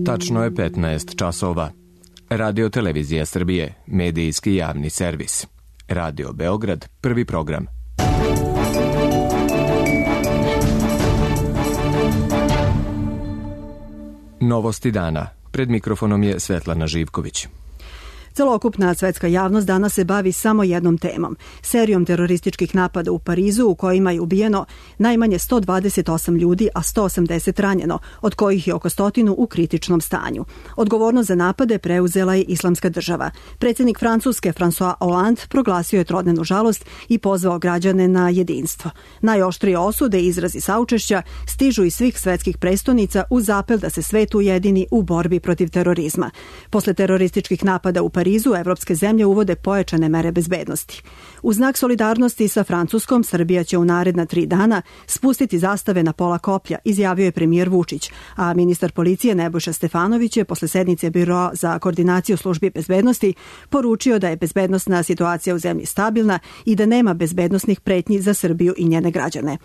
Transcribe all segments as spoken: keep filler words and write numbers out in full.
Tačno je petnaest časova. Radio Televizija Srbije, medijski javni servis. Radio Beograd, prvi program. Novosti dana. Pred mikrofonom je Svetlana Živković. Celokupna svetska javnost danas se bavi samo jednom temom, serijom terorističkih napada u Parizu u kojima je ubijeno najmanje sto dvadeset osam ljudi, a sto osamdeset ranjeno, od kojih je oko stotinu u kritičnom stanju. Odgovornost za napade preuzela je Islamska država. Predsjednik Francuske François Hollande proglasio je trodnevnu žalost i pozvao građane na jedinstvo. Najoštrije osude i izrazi saučešća stižu iz svih svetskih prestonica uz apel da se svet ujedini u borbi protiv terorizma. Posle terorističkih napada u Parizu Parizu evropske zemlje uvode pojačane mere bezbednosti. U znak solidarnosti sa Francuskom, Srbija će u naredna tri dana spustiti zastave na pola koplja, izjavio je premijer Vučić, a ministar policije Nebojša Stefanović je posle sednice Biroa za koordinaciju službi bezbednosti poručio da je bezbednosna situacija u zemlji stabilna i da nema bezbednosnih pretnji za Srbiju i njene građane.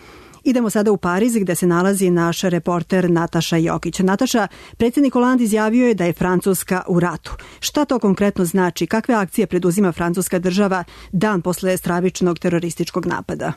Idemo sada u Pariz gde se nalazi naš reporter Nataša Jokić. Nataša, predsjednik Hollande izjavio je da je Francuska u ratu. Šta to konkretno znači? Kakve akcije preduzima francuska država dan posle stravičnog terorističkog napada?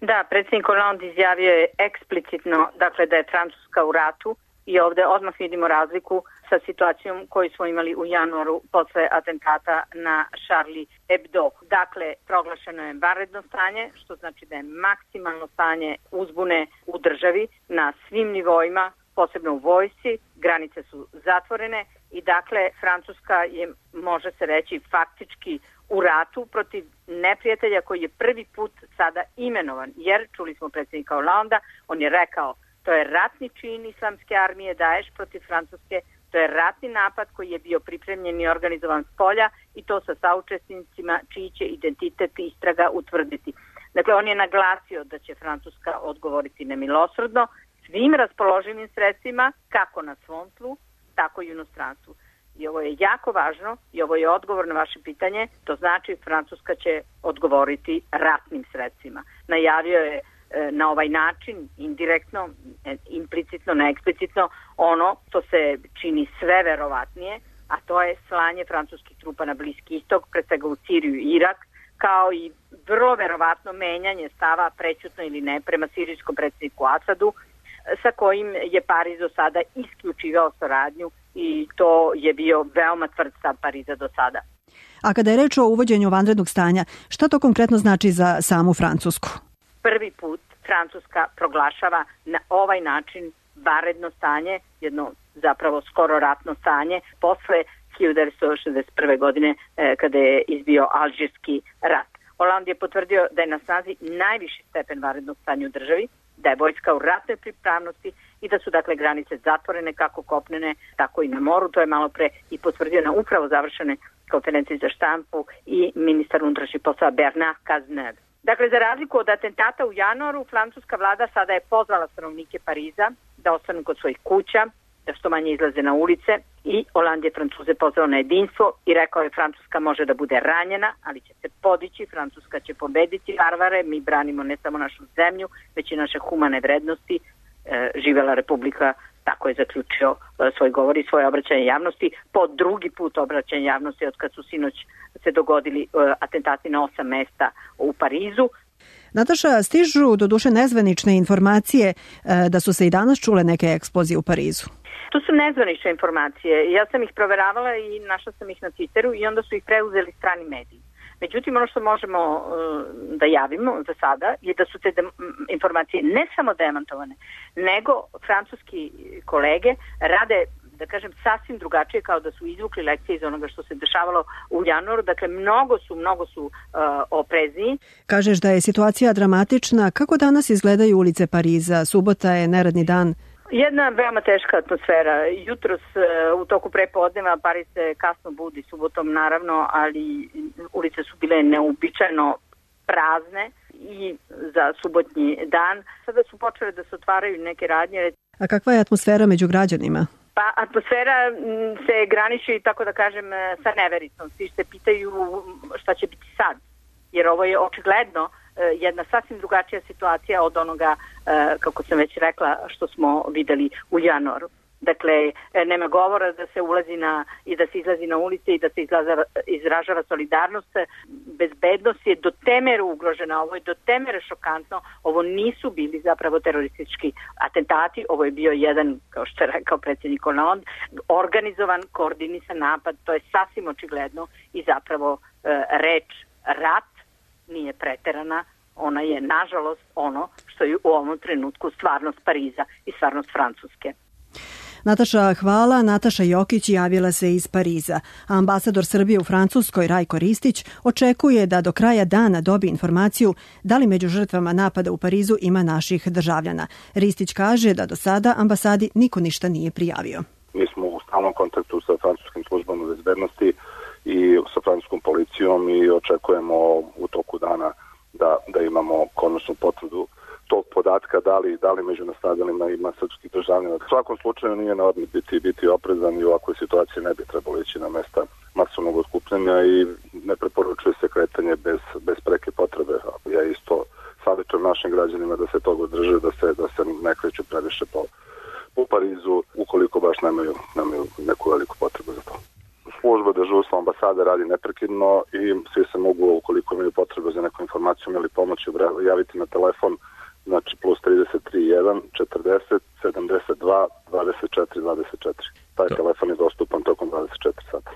Da, predsjednik Hollande izjavio je eksplicitno dakle, da je Francuska u ratu i ovdje odmah vidimo razliku sa situacijom koju smo imali u januaru posle atentata na Charlie Hebdo. Dakle, proglašeno je vanredno stanje, što znači da je maksimalno stanje uzbune u državi na svim nivoima, posebno u vojsci, granice su zatvorene i dakle Francuska je, može se reći, faktički u ratu protiv neprijatelja koji je prvi put sada imenovan, jer čuli smo predsjednika Hollanda, on je rekao to je ratni čin islamske armije Daesh protiv Francuske. To je ratni napad koji je bio pripremljen i organizovan s polja i to sa saučesnicima čiji će identitet istraga utvrditi. Dakle, on je naglasio da će Francuska odgovoriti nemilosrdno svim raspoloživim sredstvima, kako na svom tlu, tako i u inostranstvu. I ovo je jako važno i ovo je odgovor na vaše pitanje. To znači Francuska će odgovoriti ratnim sredstvima. Najavio je na ovaj način, indirektno, implicitno, neeksplicitno, ono što se čini sve verovatnije, a to je slanje francuskih trupa na Bliski istok, pre svega u Siriju i Irak, kao i vrlo verovatno menjanje stava, prećutno ili ne, prema sirijskom predsjedniku Asadu, sa kojim je Pariz do sada isključivao saradnju i to je bio veoma tvrd stav Pariza do sada. A kada je reč o uvođenju vanrednog stanja, šta to konkretno znači za samu Francusku? Prvi put Francuska proglašava na ovaj način vanredno stanje, jedno zapravo skoro ratno stanje, posle hiljadu devetsto šezdeset prve. godine eh, kada je izbio Alžirski rat. Hollande je potvrdio da je na snazi najviši stepen vanrednog stanja u državi, da je vojska u ratnoj pripravnosti i da su dakle granice zatvorene kako kopnene, tako i na moru. To je malo pre i potvrdio na upravo završene konferenciji za štampu i ministar unutrašnjih poslova Bernard Cazeneuve. Dakle, za razliku od atentata u januaru, francuska vlada sada je pozvala stanovnike Pariza da ostanu kod svojih kuća, da što manje izlaze na ulice i Hollande je Francuze pozvao na jedinstvo i rekao je Francuska može da bude ranjena, ali će se podići, Francuska će pobediti varvare, mi branimo ne samo našu zemlju, već i naše humane vrednosti, e, živela Republika, tako je zaključio e, svoj govor i svoje obraćanje javnosti, po drugi put obraćanje javnosti od kad su sinoć se dogodili e, atentati na osam mesta u Parizu. Nataša, stižu doduše nezvanične informacije e, da su se i danas čule neke eksplozije u Parizu. To su nezvanične informacije. Ja sam ih proveravala i našla sam ih na Twitteru i onda su ih preuzeli strani mediji. Međutim, ono što možemo uh, da javimo za sada je da su te de- informacije ne samo demantovane, nego francuski kolege rade, da kažem, sasvim drugačije, kao da su izvukli lekcije iz onoga što se dešavalo u januaru. Dakle, mnogo su, mnogo su uh, oprezniji. Kažeš da je situacija dramatična. Kako danas izgledaju ulice Pariza? Subota je neradni dan. Jedna veoma teška atmosfera. Jutros u toku prepodneva Pariz se kasno budi, subotom naravno, ali ulice su bile neuobičajeno prazne i za subotnji dan. Sada su počele da se otvaraju neke radnje. A kakva je atmosfera među građanima? Pa atmosfera se graniči, tako da kažem, sa nevericom. Svi se pitaju šta će biti sad, jer ovo je očigledno jedna sasvim drugačija situacija od onoga, kako sam već rekla, što smo videli u januaru. Dakle, nema govora da se ulazi na i da se izlazi na ulice i da se izlaza, izražava solidarnost. Bezbednost je do te mere ugrožena, ovo je do te mere šokantno. Ovo nisu bili zapravo teroristički atentati, ovo je bio jedan, kao što je rekao predsjednik Hollande, organizovan, koordinisan napad, to je sasvim očigledno i zapravo e, reč rat nije preterana, ona je nažalost ono što je u ovom trenutku stvarnost Pariza i stvarnost Francuske. Nataša, hvala. Nataša Jokić javila se iz Pariza. Ambasador Srbije u Francuskoj Rajko Ristić očekuje da do kraja dana dobije informaciju da li među žrtvama napada u Parizu ima naših državljana. Ristić kaže da do sada ambasadi niko ništa nije prijavio. Mi smo u stalnom kontaktu sa francuskim službama bezbednosti i sa francuskom policijom i očekujemo u toku dana da, da imamo konačnu potvrdu tog podatka, da li, da li među nastradalima ima srpskih državljana. U svakom slučaju nije na odmet biti, biti oprezan i u ovakvoj situaciji ne bi trebalo ići na mesta masovnog otkupljanja i ne preporučuje se kretanje bez, bez preke potrebe. Ja isto savjetujem našim građanima da se toga drže, da se, da se ne kreću previše po, po Parizu ukoliko baš nemaju, nemaju neku veliku potrebu za to. Služba dežurstva ambasade radi neprekidno i svi se mogu, ukoliko imaju potrebu za neku informaciju ili pomoć, javiti na telefon, znači plus trideset tri jedan četrdeset sedamdeset dva dvadeset četiri dvadeset četiri. Taj da. Telefon je dostupan tokom dvadeset četiri sata.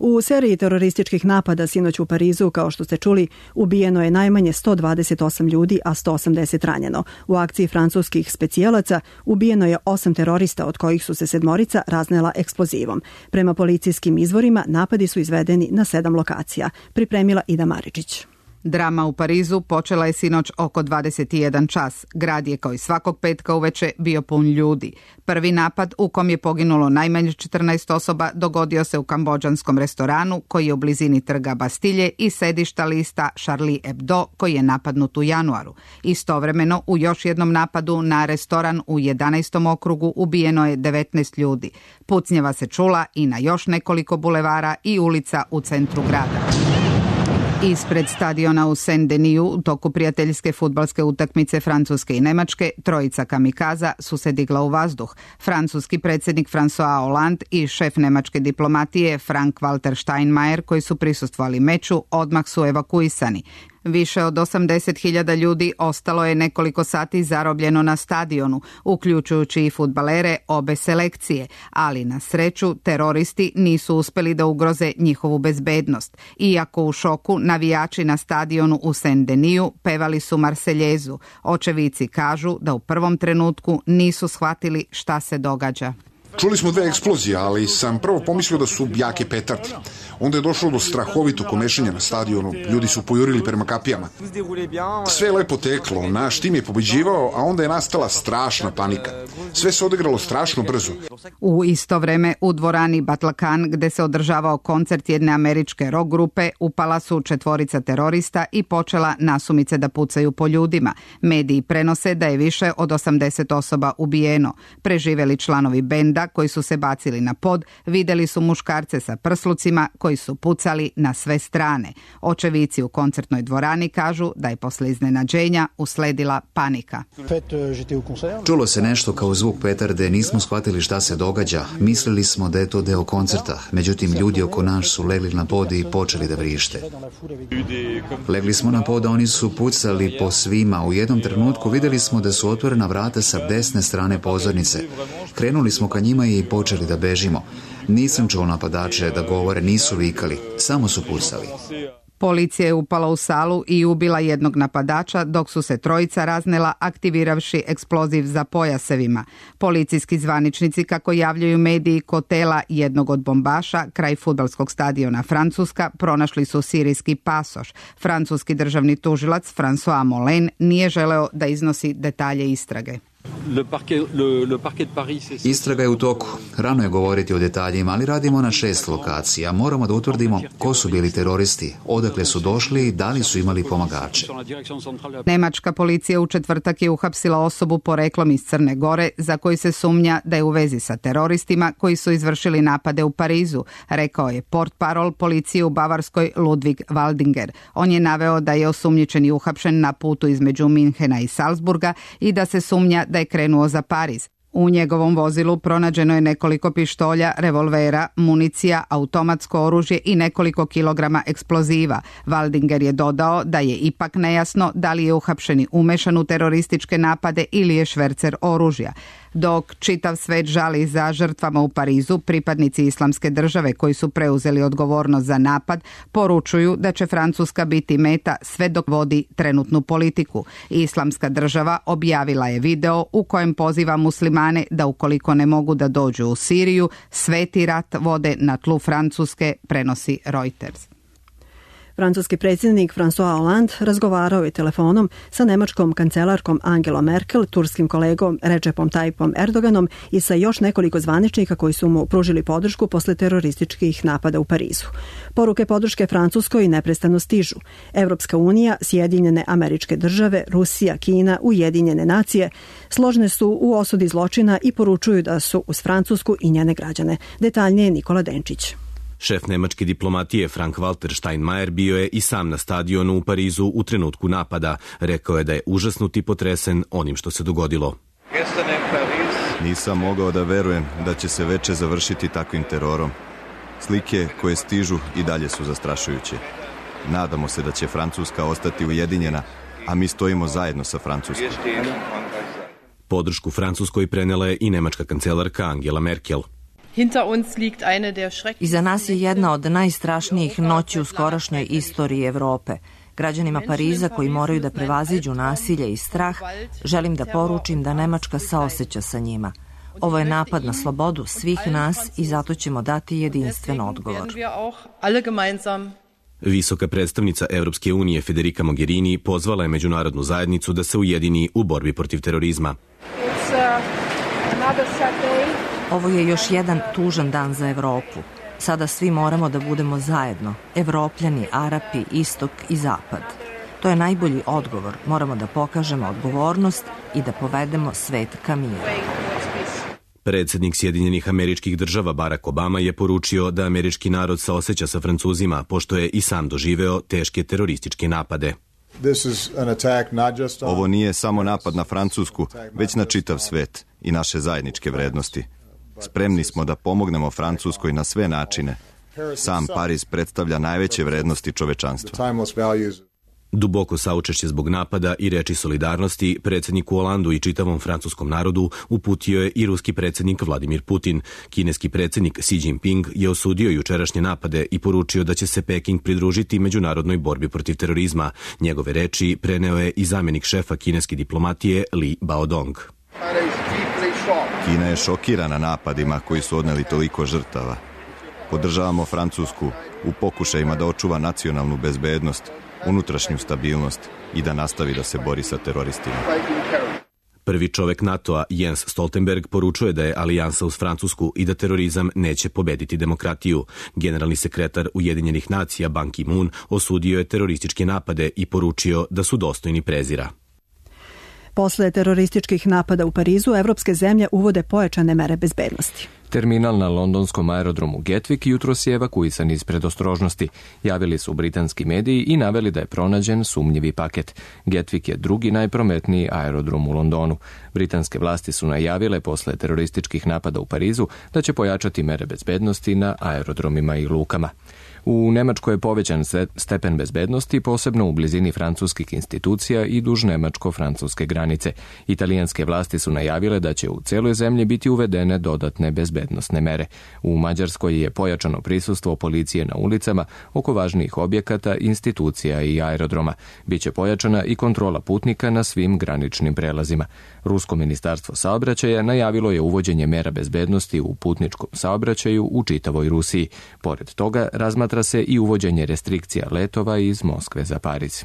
U seriji terorističkih napada sinoć u Parizu, kao što ste čuli, ubijeno je najmanje sto dvadeset osam ljudi, a sto osamdeset ranjeno. U akciji francuskih specijalaca ubijeno je osam terorista, od kojih su se sedmorica raznela eksplozivom. Prema policijskim izvorima, napadi su izvedeni na sedam lokacija. Pripremila Ida Maričić. Drama u Parizu počela je sinoć oko dvadeset jedan čas. Grad je kao i svakog petka uveče bio pun ljudi. Prvi napad u kom je poginulo najmanje četrnaest osoba dogodio se u kambodžanskom restoranu koji je u blizini trga Bastilje i sedišta lista Charlie Hebdo koji je napadnut u januaru. Istovremeno u još jednom napadu na restoran u jedanaestom okrugu ubijeno je devetnaest ljudi. Pucnjeva se čula i na još nekoliko bulevara i ulica u centru grada. Ispred stadiona u Saint-Deniju u toku prijateljske fudbalske utakmice Francuske i Nemačke trojica kamikaza su se digla u vazduh. Francuski predsjednik François Hollande i šef nemačke diplomatije Frank-Walter Steinmeier, koji su prisustvovali meču, odmah su evakuisani. Više od osamdeset hiljada ljudi ostalo je nekoliko sati zarobljeno na stadionu, uključujući i fudbalere obe selekcije, ali na sreću teroristi nisu uspjeli da ugroze njihovu bezbednost. Iako u šoku, navijači na stadionu u Saint-Deniju pevali su Marseljezu. Očevici kažu da u prvom trenutku nisu shvatili šta se događa. Čuli smo dve eksplozije, ali sam prvo pomislio da su jake petarde. Onda je došlo do strahovitog komešanja na stadionu. Ljudi su pojurili prema kapijama. Sve je lepo teklo, naš tim je pobeđivao, a onda je nastala strašna panika. Sve se odigralo strašno brzo. U isto vreme u dvorani Batlakan, gde se održavao koncert jedne američke rock grupe, upala su četvorica terorista i počela nasumice da pucaju po ljudima. Mediji prenose da je više od osamdeset osoba ubijeno. Preživeli članovi benda koji su se bacili na pod, videli su muškarce sa prslucima koji su pucali na sve strane. Očevici u koncertnoj dvorani kažu da je posle iznenađenja usledila panika. Čulo se nešto kao zvuk petarde, nismo shvatili šta se događa. Mislili smo da je to deo koncerta, međutim ljudi oko nas su legli na pod i počeli da vrište. Legli smo na pod, a oni su pucali po svima. U jednom trenutku videli smo da su otvorena vrata sa desne strane pozornice. Krenuli smo ka njima i počeli da bežimo. Nisam čuo napadače da govore, nisu vikali, samo su pucali. Policija je upala u salu i ubila jednog napadača, dok su se trojica raznela aktiviravši eksploziv za pojasevima. Policijski zvaničnici, kako javljaju mediji, kod tela jednog od bombaša kraj fudbalskog stadiona Francuska pronašli su sirijski pasoš. Francuski državni tužilac François Molin nije želeo da iznosi detalje istrage. Istraga je u toku. Rano je govoriti o detaljima, ali radimo na šest lokacija. Moramo da utvrdimo ko su bili teroristi, odakle su došli i da li su imali pomagače. Nemačka policija u četvrtak je uhapsila osobu poreklom iz Crne Gore za koju se sumnja da je u vezi sa teroristima koji su izvršili napade u Parizu, rekao je portparol policije u Bavarskoj Ludwig Waldinger. On je naveo da je osumnjičeni uhapšen na putu između Minhena i Salzburga i da se sumnja da je krenuo za Pariz. U njegovom vozilu pronađeno je nekoliko pištolja, revolvera, municija, automatsko oružje i nekoliko kilograma eksploziva. Waldinger je dodao da je ipak nejasno da li je uhapšeni umešan u terorističke napade ili je švercer oružja. Dok čitav svet žali za žrtvama u Parizu, pripadnici Islamske države koji su preuzeli odgovornost za napad poručuju da će Francuska biti meta sve dok vodi trenutnu politiku. Islamska država objavila je video u kojem poziva muslimane da ukoliko ne mogu da dođu u Siriju, sveti rat vode na tlu Francuske, prenosi Reuters. Francuski predsjednik François Hollande razgovarao je telefonom sa nemačkom kancelarkom Angelom Merkel, turskim kolegom Recepom Tayyipom Erdoganom i sa još nekoliko zvaničnika koji su mu pružili podršku posle terorističkih napada u Parizu. Poruke podrške Francuskoj neprestano stižu. Evropska unija, Sjedinjene Američke Države, Rusija, Kina, Ujedinjene nacije složne su u osudi zločina i poručuju da su uz Francusku i njene građane. Detaljnije Nikola Denčić. Šef nemačke diplomatije Frank-Walter Steinmeier bio je i sam na stadionu u Parizu u trenutku napada. Rekao je da je užasnut i potresen onim što se dogodilo. Nisam mogao da verujem da će se veče završiti takvim terorom. Slike koje stižu i dalje su zastrašujuće. Nadamo se da će Francuska ostati ujedinjena, a mi stojimo zajedno sa Francuskom. Podršku Francuskoj prenela je i nemačka kancelarka Angela Merkel. Iza nas je jedna od najstrašnijih noći u skorašnjoj istoriji Evrope. Građanima Pariza koji moraju da prevaziđu nasilje i strah, želim da poručim da Nemačka saoseća sa njima. Ovo je napad na slobodu svih nas i zato ćemo dati jedinstven odgovor. Visoka predstavnica Evropske unije Federica Mogherini pozvala je međunarodnu zajednicu da se ujedini u borbi protiv terorizma. Ovo je još jedan tužan dan za Evropu. Sada svi moramo da budemo zajedno, Evropljani, Arapi, Istok i Zapad. To je najbolji odgovor. Moramo da pokažemo odgovornost i da povedemo svet ka miru. Predsjednik Sjedinjenih Američkih Država Barack Obama je poručio da američki narod saoseća sa Francuzima, pošto je i sam doživeo teške terorističke napade. Ovo nije samo napad na Francusku, već na čitav svet i naše zajedničke vrednosti. Spremni smo da pomognemo Francuskoj na sve načine. Sam Pariz predstavlja najveće vrednosti čovečanstva. Duboko saučešće zbog napada i reči solidarnosti predsjedniku Hollandu i čitavom francuskom narodu uputio je i ruski predsjednik Vladimir Putin. Kineski predsjednik Xi Jinping je osudio jučerašnje napade i poručio da će se Peking pridružiti međunarodnoj borbi protiv terorizma. Njegove reči preneo je i zamjenik šefa kineske diplomatije Li Baodong. Kina je šokirana napadima koji su odneli toliko žrtava. Podržavamo Francusku u pokušajima da očuva nacionalnu bezbednost, unutrašnju stabilnost i da nastavi da se bori sa teroristima. Prvi čovek NATO-a Jens Stoltenberg poručuje da je alijansa uz Francusku i da terorizam neće pobediti demokratiju. Generalni sekretar Ujedinjenih nacija Ban Ki-moon osudio je terorističke napade i poručio da su dostojni prezira. Posle terorističkih napada u Parizu, evropske zemlje uvode pojačane mere bezbednosti. Terminal na londonskom aerodromu Gatwick jutros je evakuisan iz predostrožnosti. Javili su britanski mediji i naveli da je pronađen sumnjivi paket. Gatwick je drugi najprometniji aerodrom u Londonu. Britanske vlasti su najavile posle terorističkih napada u Parizu da će pojačati mere bezbednosti na aerodromima i lukama. U Nemačkoj je povećan stepen bezbednosti, posebno u blizini francuskih institucija i duž nemačko-francuske granice. Italijanske vlasti su najavile da će u celoj zemlji biti uvedene dodatne bezbednosne mere. U Mađarskoj je pojačano prisustvo policije na ulicama oko važnijih objekata, institucija i aerodroma. Biće pojačana i kontrola putnika na svim graničnim prelazima. Rusko ministarstvo saobraćaja najavilo je uvođenje mera bezbednosti u putničkom saobraćaju u čitavoj Rusiji. Pored toga, razmatra se i uvođenje restrikcija letova iz Moskve za Pariz.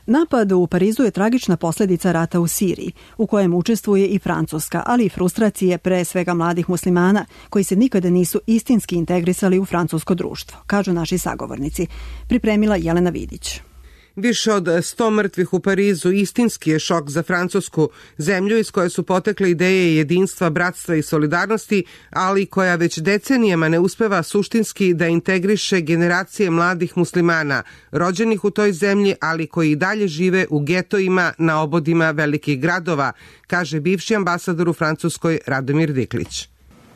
Napad u Parizu je tragična posljedica rata u Siriji, u kojem učestvuje i Francuska, ali i frustracije pre svega mladih muslimana, koji se nikada nisu istinski integrisali u francusko društvo, kažu naši sagovornici. Pripremila Jelena Vidić. Više od sto mrtvih u Parizu istinski je šok za Francusku, zemlju iz koje su potekle ideje jedinstva, bratstva i solidarnosti, ali koja već decenijama ne uspeva suštinski da integriše generacije mladih muslimana, rođenih u toj zemlji, ali koji i dalje žive u getojima na obodima velikih gradova, kaže bivši ambasador u Francuskoj Radomir Diklić.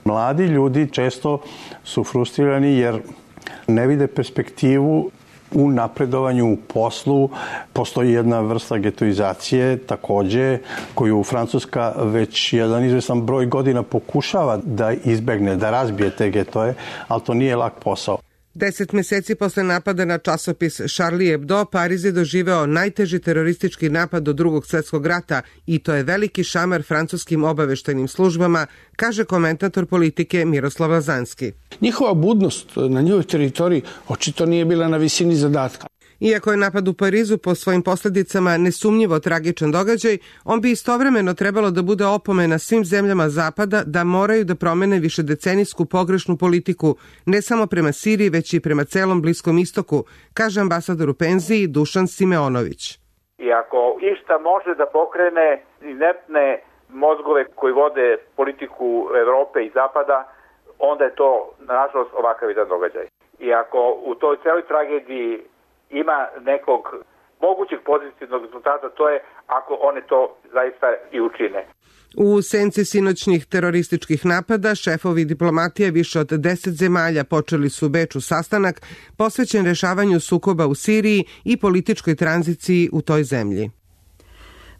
Mladi ljudi često su frustrirani jer ne vide perspektivu u napredovanju u poslu. Postoji jedna vrsta getoizacije takođe koju Francuska već jedan izvestan broj godina pokušava da izbegne, da razbije te getoje, ali to nije lak posao. Deset meseci posle napada na časopis Charlie Hebdo, Pariz je doživeo najteži teroristički napad od Drugog svjetskog rata i to je veliki šamar francuskim obaveštajnim službama, kaže komentator politike Miroslav Lazanski. Njihova budnost na njihovoj teritoriji očito nije bila na visini zadatka. Iako je napad u Parizu po svojim posljedicama nesumnjivo tragičan događaj, on bi istovremeno trebalo da bude opomena svim zemljama Zapada da moraju da promene višedecenijsku pogrešnu politiku, ne samo prema Siriji, već i prema celom Bliskom istoku, kaže ambasador u penziji Dušan Simeonović. I ako išta može da pokrene ineptne mozgove koji vode politiku Evrope i Zapada, onda je to, nažalost, ovakav jedan događaj. I ako u toj celoj tragediji ima nekog mogućeg pozitivnog rezultata, to je ako one to zaista i učine. U senci sinoćnih terorističkih napada, šefovi diplomatije više od deset zemalja počeli su u Beču sastanak posvećen rešavanju sukoba u Siriji i političkoj tranziciji u toj zemlji.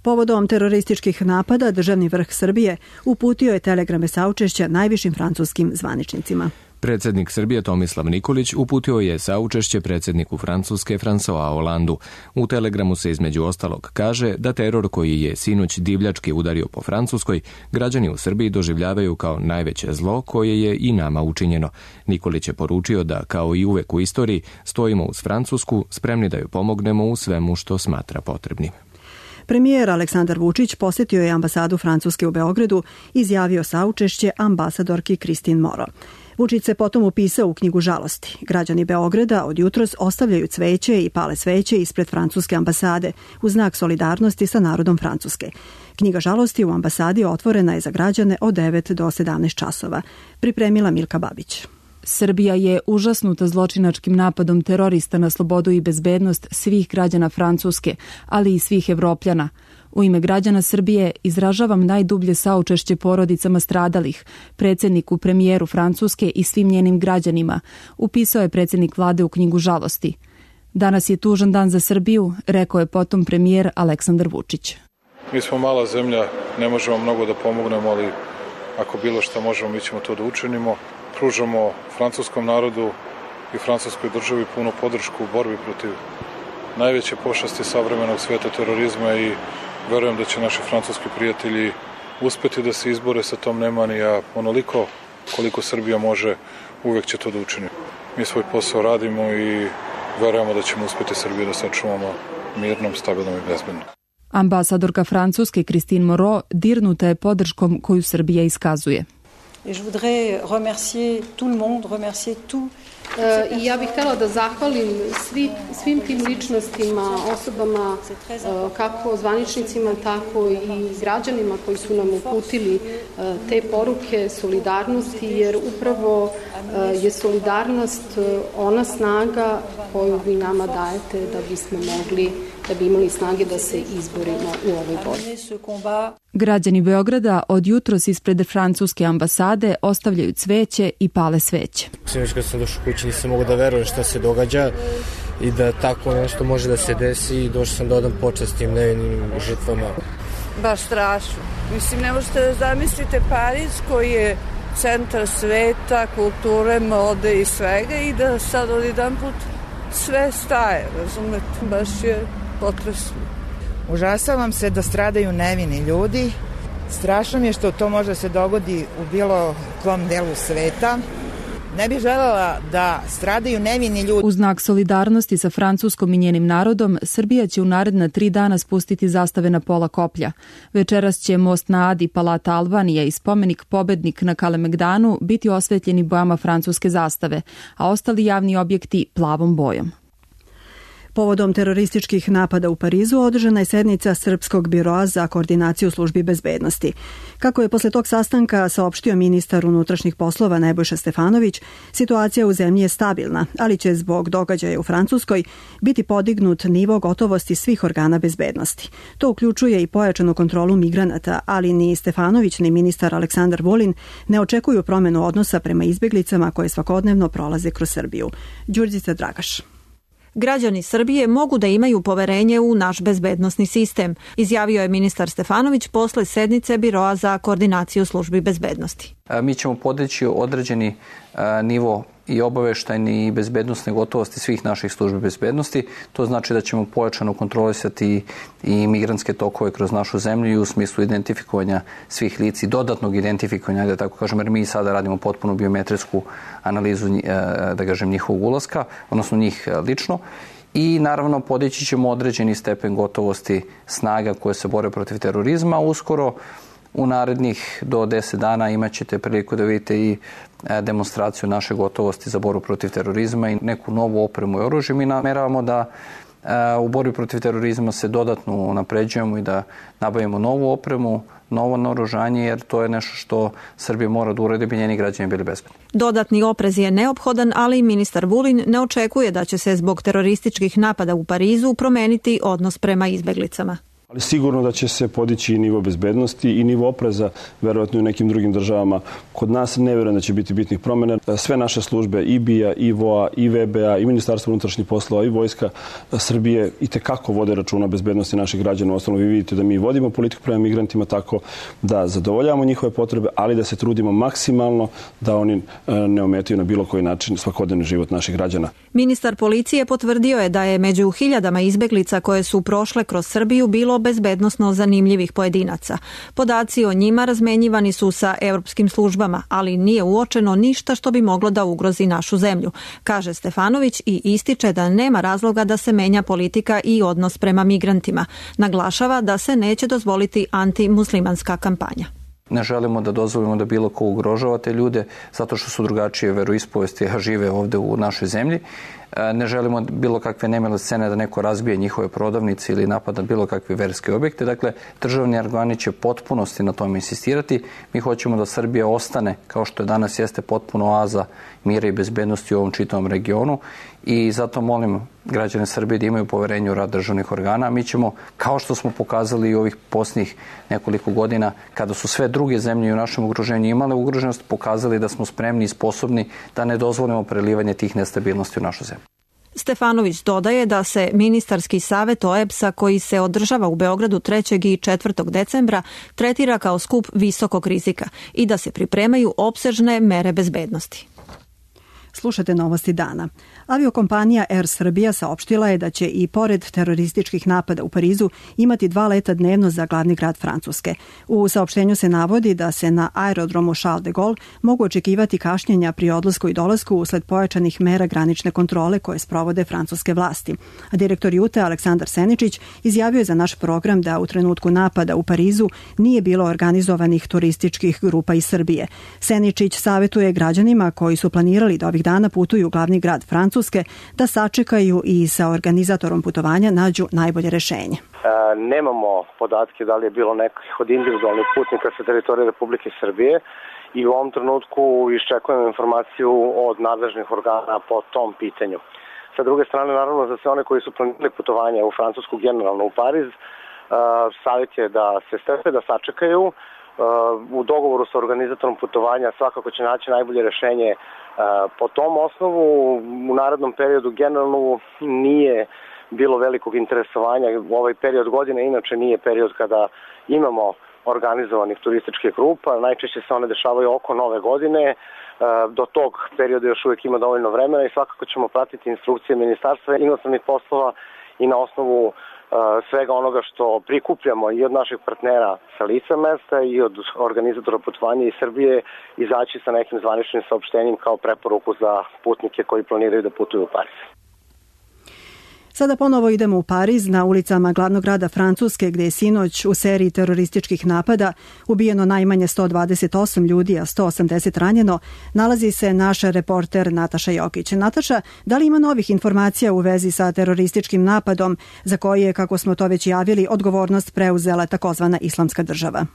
Povodom terorističkih napada, državni vrh Srbije uputio je telegrame saučešća najvišim francuskim zvaničnicima. Predsjednik Srbije Tomislav Nikolić uputio je saučešće predsjedniku Francuske François Hollandu. U telegramu se između ostalog kaže da teror koji je sinoć divljački udario po Francuskoj, građani u Srbiji doživljavaju kao najveće zlo koje je i nama učinjeno. Nikolić je poručio da, kao i uvek u istoriji, stojimo uz Francusku, spremni da joj pomognemo u svemu što smatra potrebnim. Premijer Aleksandar Vučić posjetio je ambasadu Francuske u Beogradu i izjavio saučešće ambasadorki Christine Moreau. Vučić se potom upisao u knjigu žalosti. Građani Beograda od jutros ostavljaju cveće i pale sveće ispred francuske ambasade u znak solidarnosti sa narodom Francuske. Knjiga žalosti u ambasadi otvorena je za građane od devet do sedamnaest časova. Pripremila Milka Babić. Srbija je užasnuta zločinačkim napadom terorista na slobodu i bezbednost svih građana Francuske, ali i svih Evropljana. U ime građana Srbije izražavam najdublje saučešće porodicama stradalih, predsjedniku, premijeru Francuske i svim njenim građanima, upisao je predsjednik vlade u knjigu žalosti. Danas je tužan dan za Srbiju, rekao je potom premijer Aleksandar Vučić. Mi smo mala zemlja, ne možemo mnogo da pomognemo, ali ako bilo što možemo, mi ćemo to da učinimo. Pružamo francuskom narodu i francuskoj državi punu podršku u borbi protiv najveće pošasti savremenog sveta, terorizma, i verujem da će naši francuski prijatelji uspeti da se izbore sa tom nemani, a onoliko koliko Srbija može, uvek će to da učini. Mi svoj posao radimo i verujemo da ćemo uspeti Srbiju da sačuvamo mirnom, stabilnom i bezbednom. Ambasadorka Francuske Christine Moreau dirnuta je podrškom koju Srbija iskazuje. Et je voudrais remercier tout le monde, remercier tout. Uh, I ja bih htjela da zahvalim svi, svim tim ličnostima, osobama, uh, kako zvaničnicima, tako i građanima koji su nam uputili uh, te poruke solidarnosti, jer upravo uh, je solidarnost uh, ona snaga koju vi nama dajete da bismo mogli, da bi imali snage da se izborimo u ovoj borbi. Građani Beograda od jutros ispred francuske ambasade ostavljaju cveće i pale sveće. Sinoć kad sam došao kući nisam mogu da verujem šta se događa i da tako nešto može da se desi, i došao sam da odam počast tim nevinim žrtvama. Baš strašno. Mislim, ne možete da zamislite Pariz koji je centar sveta, kulture, mode i svega, i da sad od jedan put sve staje, razumete, baš je potresno. Užasavam se da stradaju nevini ljudi. Strašno mi je što to može se dogodi u bilo kom delu sveta. Ne bih želela da stradaju nevini ljudi. U znak solidarnosti sa Francuskom i njenim narodom, Srbija će u naredna tri dana spustiti zastave na pola koplja. Večeras će most na Adi, Palata Albanija i spomenik Pobednik na Kalemegdanu biti osvetljeni bojama francuske zastave, a ostali javni objekti plavom bojom. Povodom terorističkih napada u Parizu održana je sednica Srpskog biroa za koordinaciju službi bezbednosti. Kako je posle tog sastanka saopštio ministar unutrašnjih poslova Nebojša Stefanović, situacija u zemlji je stabilna, ali će zbog događaja u Francuskoj biti podignut nivo gotovosti svih organa bezbednosti. To uključuje i pojačanu kontrolu migranata, ali ni Stefanović ni ministar Aleksandar Vulin ne očekuju promenu odnosa prema izbeglicama koje svakodnevno prolaze kroz Srbiju. Đurđica Dragaš. Građani Srbije mogu da imaju poverenje u naš bezbednosni sistem, izjavio je ministar Stefanović posle sednice Biroa za koordinaciju službi bezbednosti. Mi ćemo podići određeni nivo i obaveštajni i bezbednostne gotovosti svih naših službi bezbednosti. To znači da ćemo pojačano kontrolisati i migrantske tokove kroz našu zemlju i u smislu identifikovanja svih lica i dodatnog identifikovanja, da tako kažem, jer mi sada radimo potpuno biometrijsku analizu, da kažem, njihovog ulaska, odnosno njih lično. I naravno podići ćemo određeni stepen gotovosti snaga koje se bore protiv terorizma. Uskoro u narednih do deset dana imat ćete priliku da vidite i demonstraciju naše gotovosti za borbu protiv terorizma i neku novu opremu i oružje. Mi nameravamo da u borbi protiv terorizma se dodatno unapređujemo i da nabavimo novu opremu, novo naoružanje, jer to je nešto što Srbija mora da uradi, bi njeni građani bili bezbedni. Dodatni oprez je neophodan, ali ministar Vulin ne očekuje da će se zbog terorističkih napada u Parizu promeniti odnos prema izbeglicama. Ali sigurno da će se podići i nivo bezbednosti i nivo opreza, verovatno i u nekim drugim državama. Kod nas ne verujem da će biti bitnih promjena. Sve naše službe, i B I A, i V O A, i V B A, i Ministarstvo unutrašnjih poslova, i Vojska Srbije i tekako vode računa bezbednosti naših građana. Uostalom, vi vidite da mi vodimo politiku prema migrantima tako da zadovoljavamo njihove potrebe, ali da se trudimo maksimalno da oni ne ometaju na bilo koji način svakodnevni život naših građana. Ministar policije potvrdio je da je među hiljadama izbeglica koje su prošle kroz Srbiju bilo bezbednosno zanimljivih pojedinaca. Podaci o njima razmenjivani su sa europskim službama, ali nije uočeno ništa što bi moglo da ugrozi našu zemlju, kaže Stefanović i ističe da nema razloga da se menja politika i odnos prema migrantima. Naglašava da se neće dozvoliti antimuslimanska kampanja. Ne želimo da dozvolimo da bilo ko ugrožava te ljude zato što su drugačije veroispovesti, a žive ovde u našoj zemlji. Ne želimo bilo kakve nemile scene da neko razbije njihove prodavnice ili napada bilo kakve verske objekte. Dakle, državni organi će potpunosti na tome insistirati. Mi hoćemo da Srbija ostane, kao što je danas jeste, potpuno oaza mira i bezbednosti u ovom čitavom regionu i zato molim građane Srbije da imaju poverenje u rad državnih organa. Mi ćemo, kao što smo pokazali i ovih posljednjih nekoliko godina, kada su sve druge zemlje u našem okruženju imale ugroženost, pokazali da smo spremni i sposobni da ne dozvolimo prelivanje tih nestabilnosti u našu zemlju. Stefanović dodaje da se ministarski savet O E B S-a koji se održava u Beogradu trećeg i četvrtog decembra tretira kao skup visokog rizika i da se pripremaju opsežne mere bezbednosti. Slušate novosti dana. Aviokompanija Air Srbija saopštila je da će i pored terorističkih napada u Parizu imati dva leta dnevno za glavni grad Francuske. U saopštenju se navodi da se na aerodromu Charles de Gaulle mogu očekivati kašnjenja pri odlasku i dolasku usled pojačanih mera granične kontrole koje sprovode francuske vlasti. A direktor Jute Aleksandar Seničić izjavio je za naš program da u trenutku napada u Parizu nije bilo organizovanih turističkih grupa iz Srbije. Seničić savjetuje građanima koji su planirali da ovih dana putuju u glavni grad Francuske da sačekaju i sa organizatorom putovanja nađu najbolje rešenje. E, nemamo podatke da li je bilo nekih od individualnih putnika sa teritorije Republike Srbije i u ovom trenutku iščekujemo informaciju od nadležnih organa po tom pitanju. Sa druge strane, naravno, za sve one koji su planirali putovanje u Francusku, generalno u Pariz, e, savjet je da se strpe, da sačekaju. E, u dogovoru sa organizatorom putovanja svakako će naći najbolje rešenje. Po tom osnovu u narednom periodu generalno nije bilo velikog interesovanja. Ovaj period godine inače nije period kada imamo organizovanih turističkih grupa. Najčešće se one dešavaju oko nove godine. Do tog perioda još uvijek ima dovoljno vremena i svakako ćemo pratiti instrukcije Ministarstva inostranih poslova i na osnovu svega onoga što prikupljamo i od naših partnera sa lica mesta i od organizatora putovanja iz Srbije izaći sa nekim zvaničnim saopštenjem kao preporuku za putnike koji planiraju da putuju u Pariz. Sada ponovo idemo u Pariz, na ulicama glavnog grada Francuske, gde je sinoć u seriji terorističkih napada ubijeno najmanje sto dvadeset osam ljudi, a sto osamdeset ranjeno, nalazi se naša reporter Nataša Jokić. Nataša, da li ima novih informacija u vezi sa terorističkim napadom za koji je, kako smo to već javili, odgovornost preuzela takozvana Islamska država?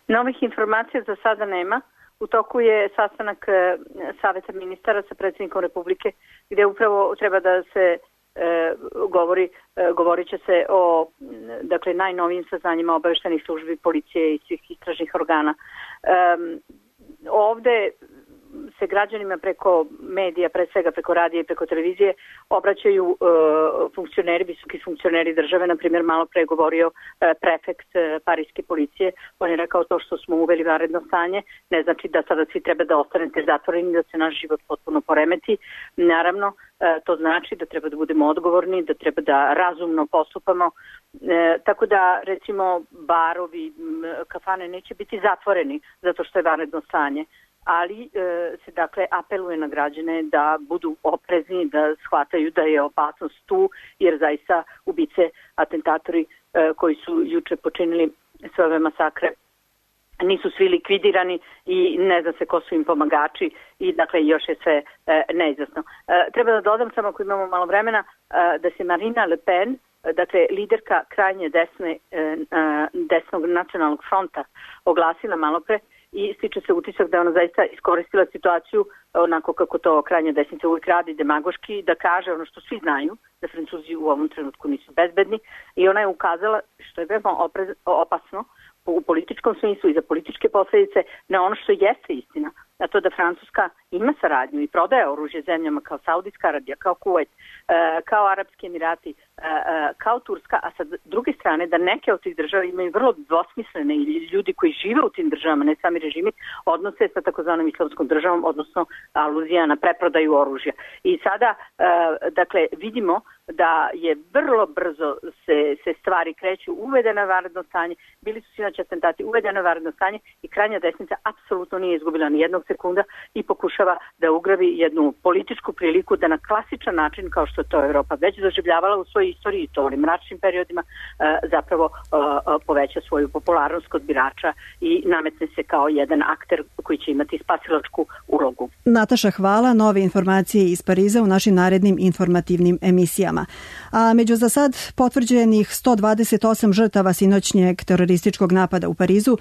Novih informacija za sada nema. U toku je sastanak Saveta ministara sa predsjednikom Republike, gdje upravo treba da se E, govori, e, govorit će se o dakle, najnovijim saznanjima obaveštajnih službi, policije i svih istražnih organa. E, ovde se građanima preko medija, pre svega preko radija i preko televizije, obraćaju e, funkcioneri, visoki funkcioneri države. Na primjer, malo pre govorio e, prefekt e, parijske policije. On je rekao to što smo uveli vanredno stanje ne znači da sada svi treba da ostanete zatvoreni, da se naš život potpuno poremeti. Naravno, e, to znači da treba da budemo odgovorni, da treba da razumno postupamo. E, tako da, recimo, barovi, kafane neće biti zatvoreni zato što je vanredno stanje. Ali e, se dakle apeluje na građane da budu oprezni, da shvataju da je opasnost tu, jer zaista ubice, atentatori e, koji su juče počinili sve ove masakre nisu svi likvidirani i ne zna se ko su im pomagači i dakle još je sve e, neizvesno. E, treba da dodam samo ako imamo malo vremena e, da se Marine Le Pen, dakle liderka krajnje desne, e, e, desnog nacionalnog fronta, oglasila malo pre i stiče se utisak da je ona zaista iskoristila situaciju onako kako to krajnja desnica uvijek radi, demagoški, da kaže ono što svi znaju, da Francuzi u ovom trenutku nisu bezbedni, i ona je ukazala, što je veoma opasno u političkom smislu i za političke posljedice, na ono što jeste istina, a to da Francuska ima saradnju i prodaje oružje zemljama kao Saudijska Arabija, kao Kuvajt, kao Arapski Emirati, kao Turska, a sa druge strane da neke od tih država imaju vrlo dvosmislene i ljudi koji žive u tim državama, ne sami režimi, odnose sa takozvanom Islamskom državom, odnosno aluzija na preprodaju oružja. I sada, dakle, vidimo da je vrlo brzo se, se stvari kreću, uvedeno vanredno stanje, bili su sinoć atentati, uvedeno vanredno stanje i krajnja desnica apsolutno nije izgubila ni jednog sekunda i pokušava da ugrabi jednu političku priliku da na klasičan način, kao što to Evropa već doživljavala u svojoj istoriji, to onim mračnim periodima, zapravo poveća svoju popularnost kod birača i nametne se kao jedan akter koji će imati spasilačku ulogu. Nataša, hvala. Nove informacije iz Pariza u našim narednim informativnim emisijama. A među za sad potvrđenih sto dvadeset osam žrtava sinoćnjeg terorističkog napada u Parizu,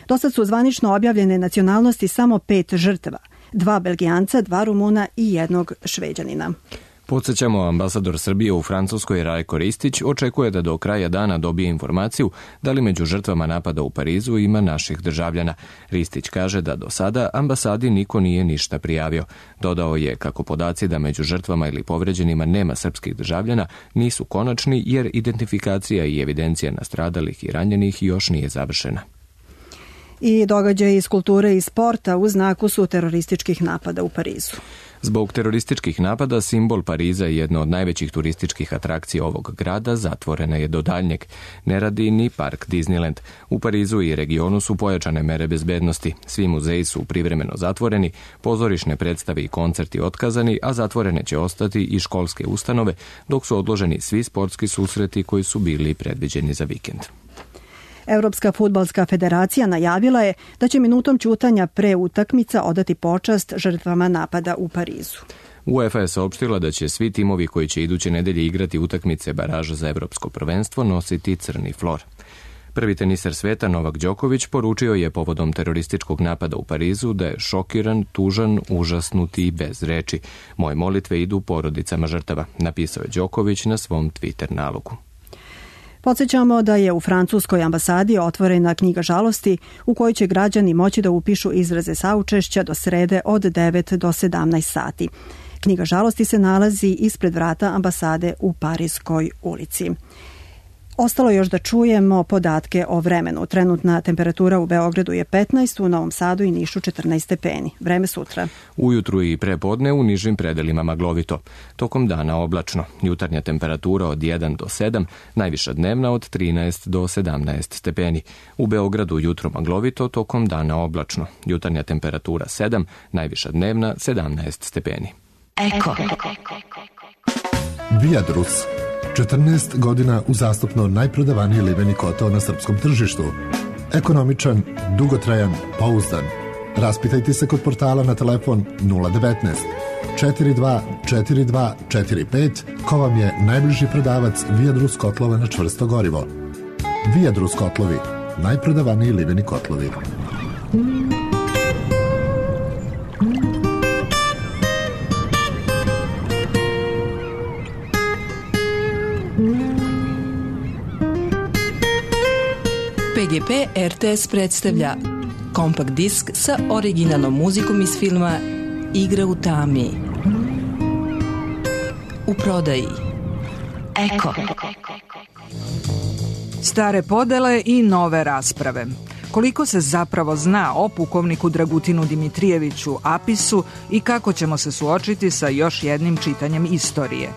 do sad su zvanično objavljene nacionalnosti samo pet žrtava. Dva Belgijanca, dva Rumuna i jednog Šveđanina. Podsjećamo, ambasador Srbije u Francuskoj Rajko Ristić očekuje da do kraja dana dobije informaciju da li među žrtvama napada u Parizu ima naših državljana. Ristić kaže da do sada ambasadi niko nije ništa prijavio. Dodao je kako podaci da među žrtvama ili povređenima nema srpskih državljana nisu konačni jer identifikacija i evidencija nastradalih i ranjenih još nije završena. I događaji iz kulture i sporta u znaku su terorističkih napada u Parizu. Zbog terorističkih napada simbol Pariza i jedno od najvećih turističkih atrakcija ovog grada zatvorena je do daljnjeg. Ne radi ni park Disneyland. U Parizu i regionu su pojačane mere bezbednosti. Svi muzeji su privremeno zatvoreni, pozorišne predstave i koncerti otkazani, a zatvorene će ostati i školske ustanove, dok su odloženi svi sportski susreti koji su bili predviđeni za vikend. Europska fudbalska federacija najavila je da će minutom ćutanja pre utakmica odati počast žrtvama napada u Parizu. UEFA je saopštila da će svi timovi koji će iduće nedelje igrati utakmice baraža za evropsko prvenstvo nositi crni flor. Prvi teniser sveta Novak Đoković poručio je povodom terorističkog napada u Parizu da je šokiran, tužan, užasnut i bez reči. Moje molitve idu porodicama žrtava, napisao je Đoković na svom Twitter nalogu. Podsjećamo da je u francuskoj ambasadi otvorena knjiga žalosti u kojoj će građani moći da upišu izraze saučešća do srede od devet do sedamnaest sati. Knjiga žalosti se nalazi ispred vrata ambasade u Parijskoj ulici. Ostalo još da čujemo podatke o vremenu. Trenutna temperatura u Beogradu je petnaest, u Novom Sadu i Nišu četrnaest stepeni. Vreme sutra. Ujutru i prepodne u nižim predelima maglovito. Tokom dana oblačno. Jutarnja temperatura od jedan do sedam, najviša dnevna od trinaest do sedamnaest stepeni. U Beogradu jutro maglovito, tokom dana oblačno. Jutarnja temperatura sedam, najviša dnevna sedamnaest stepeni. Eko. Eko. Viadrus, četrnaest godina uzastopno najprodavaniji liveni kotao na srpskom tržištu. Ekonomičan, dugotrajan, pouzdan. Raspitajte se kod portala na telefon nula devetnaest četiri dva četiri dva četiri pet ko vam je najbliži prodavac Viadrus kotlova na čvrsto gorivo. Viadrus kotlovi, najprodavaniji liveni kotlovi. P G P R T S predstavlja kompakt disk sa originalnom muzikom iz filma Igra u tami. U prodaji Eko. Stare podele i nove rasprave. Koliko se zapravo zna o pukovniku Dragutinu Dimitrijeviću Apisu i kako ćemo se suočiti sa još jednim čitanjem istorije?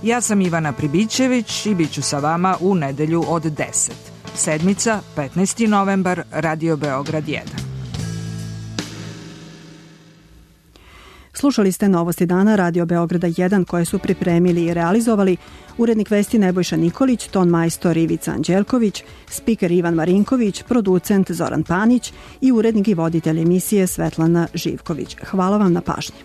Ja sam Ivana Pribićević i bit ću sa vama u nedelju od deset. Sedmica, petnaesti novembar, Radio Beograd jedan. Slušali ste Novosti dana Radio Beograda jedan koje su pripremili i realizovali urednik vesti Nebojša Nikolić, ton majstor Ivica Anđelković, spiker Ivan Marinković, producent Zoran Panić i urednik i voditelj emisije Svetlana Živković. Hvala vam na pažnji.